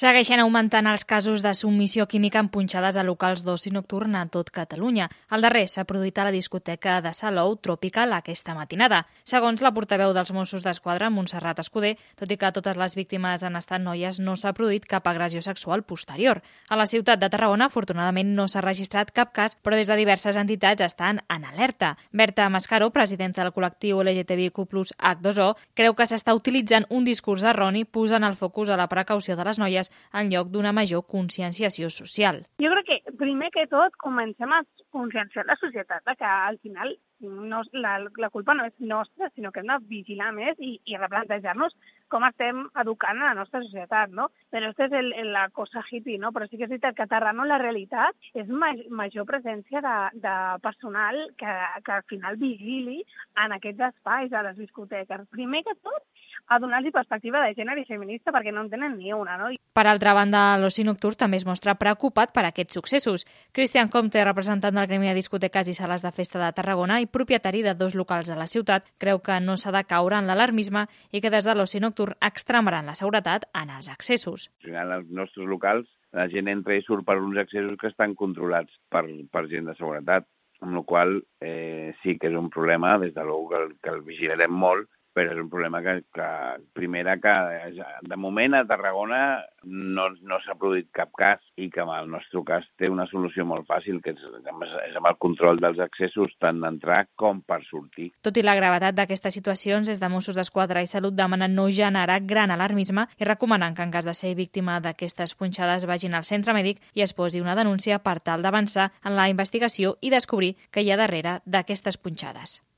Segueixen augmentant els casos de submissió química en punxades a locals d'oci nocturn a tot Catalunya. El darrer s'ha produït a la discoteca de Salou Tropical aquesta matinada. Segons la portaveu dels Mossos d'Esquadra, Montserrat Escudé, tot i que totes les víctimes han estat noies, no s'ha produït cap agressió sexual posterior. A la ciutat de Tarragona, afortunadament, no s'ha registrat cap cas, però des de diverses entitats estan en alerta. Berta Mascaro, presidenta del col·lectiu LGTBIQ+ H2O, creu que s'està utilitzant un discurs erroni posant el focus a la precaució de les noies en lloc d'una major conscienciació social. Jo crec que, primer que tot, comencem a conscienciar la societat que al final no, la culpa no és nostra, sinó que hem de vigilar més i replantejar-nos com estem educant a la nostra societat, no? Però aquesta és la cosa hippie, no? Però sí que és veritat que a Tarragona la realitat és major presència de personal que al final vigili en aquests espais, a les discoteques. Primer que tot, a donar-li perspectiva de gènere i feminista perquè no en tenen ni una, no? Per altra banda, l'oci nocturn també es mostra preocupat per aquests successos. Cristian Comte, representant del Gremi de Discoteques i Sales de Festa de Tarragona i propietari de 2 locals a la ciutat, creu que no s'ha de caure en l'alarmisme i que des de l'oci nocturn extremaran la seguretat en els accessos. Al final, als nostres locals, la gent entra i surt per uns accessos que estan controlats per gent de seguretat, amb la qual sí que és un problema, des de l'ou que el vigilarem molt, però és un problema que de moment a Tarragona no s'ha produït cap cas i que en el nostre cas té una solució molt fàcil, que és amb el control dels accessos tant d'entrar com per sortir. Tot i la gravetat d'aquestes situacions, des de Mossos d'Esquadra i Salut demanen no generar gran alarmisme i recomanen que en cas de ser víctima d'aquestes punxades vagin al centre mèdic i es posi una denúncia per tal d'avançar en la investigació i descobrir què hi ha darrere d'aquestes punxades.